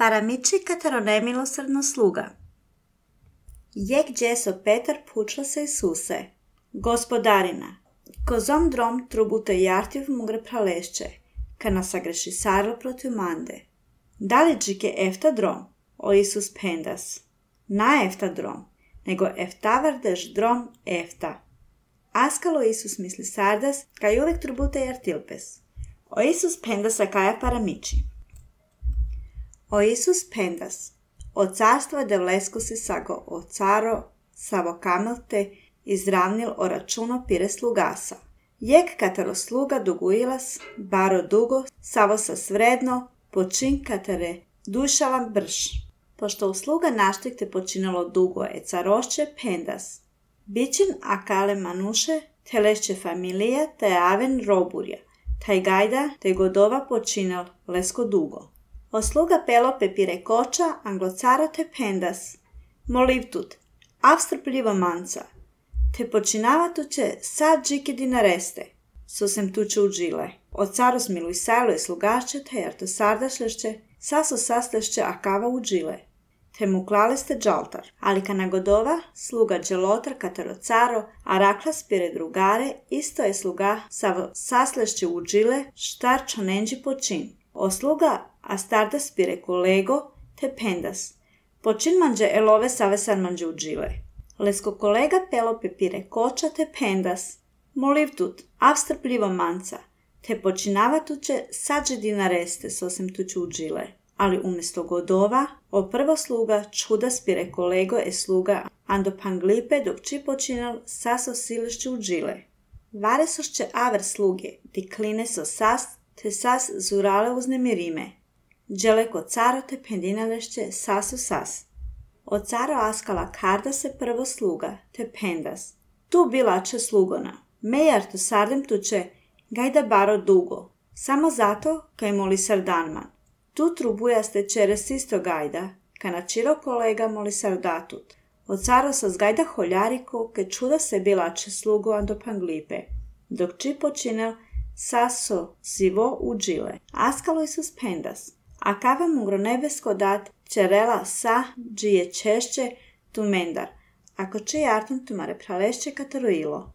Paramiči katero nemilosrdno sluga. Jek džeso Petar pučla se Isuse. Gospodarina, kozom drom trubute jartiv mugre pralešće, ka nasagreši sarlo protiv mande. Da li džike efta drom, o Isus pendas? Na efta drom, nego eftavardež drom efta. Askalo Isus misli sardas, kaj uvek trubute jartilpes. O Isus pendas a kaja paramiči. O Isus pendas, o carstva devlesko se sago o caro savo kamelte izravnil o računo pire slugasa. Jek katero sluga duguilas, baro dugo, savo sa svredno, počin katere dušalam brš. Pošto usluga naštikte počinalo dugo e carošće pendas. Bićin akale manuše, telešće familija te aven roburja, taj gajda te godova počinal lesko dugo. O sluga pelope pire koča, anglocaro te pendas. Molivtut, avstrpljivo manca, te počinavatuće sad džike dinareste, susem tuče udžile. O caros miluj sajlo i slugašće, te jarto sardašlešće, saso saslešće akava udžile. Te mu klaliste džaltar, ali kana godova, sluga dželotar katero caro, a raklas pire drugare, isto je sluga savo saslešće udžile, štar čonenđi počin. O sluga a stardas pire kolego te pendas. Počin manđe elove savesan manđe udžile. Lesko kolega pelope pire koča te pendas. Molivtut, avstrpljivo manca, te počinavatuće sađe dinareste sosem tuću udžile. Ali umjesto godova, o prvo sluga čuda spire kolego e sluga ando panglipe dok či počinal saso silišću udžile. Vare sošće aver sluge, di kline so sas, te sas zurale uznemirime. Dželeko caro te pendinalešće sasu sas. O caro askala karda se prvo sluga, te pendas. Tu bilače slugona. Mejar to sardem tuče, gajda baro dugo. Samo zato, kaj moli sardanman. Tu trubujaste čeres isto gajda, ka na čiro kolega moli sardatut. O caro sa zgajda holjariko, ke čuda se bilače slugo ando panglipe. Dok či počinel saso sivo udžile. Askalo Isus pendas. A kava mugro nebesko dat čerela sa džije češće tu mendar. Ako če jartum tu mare pralešće kataroilo.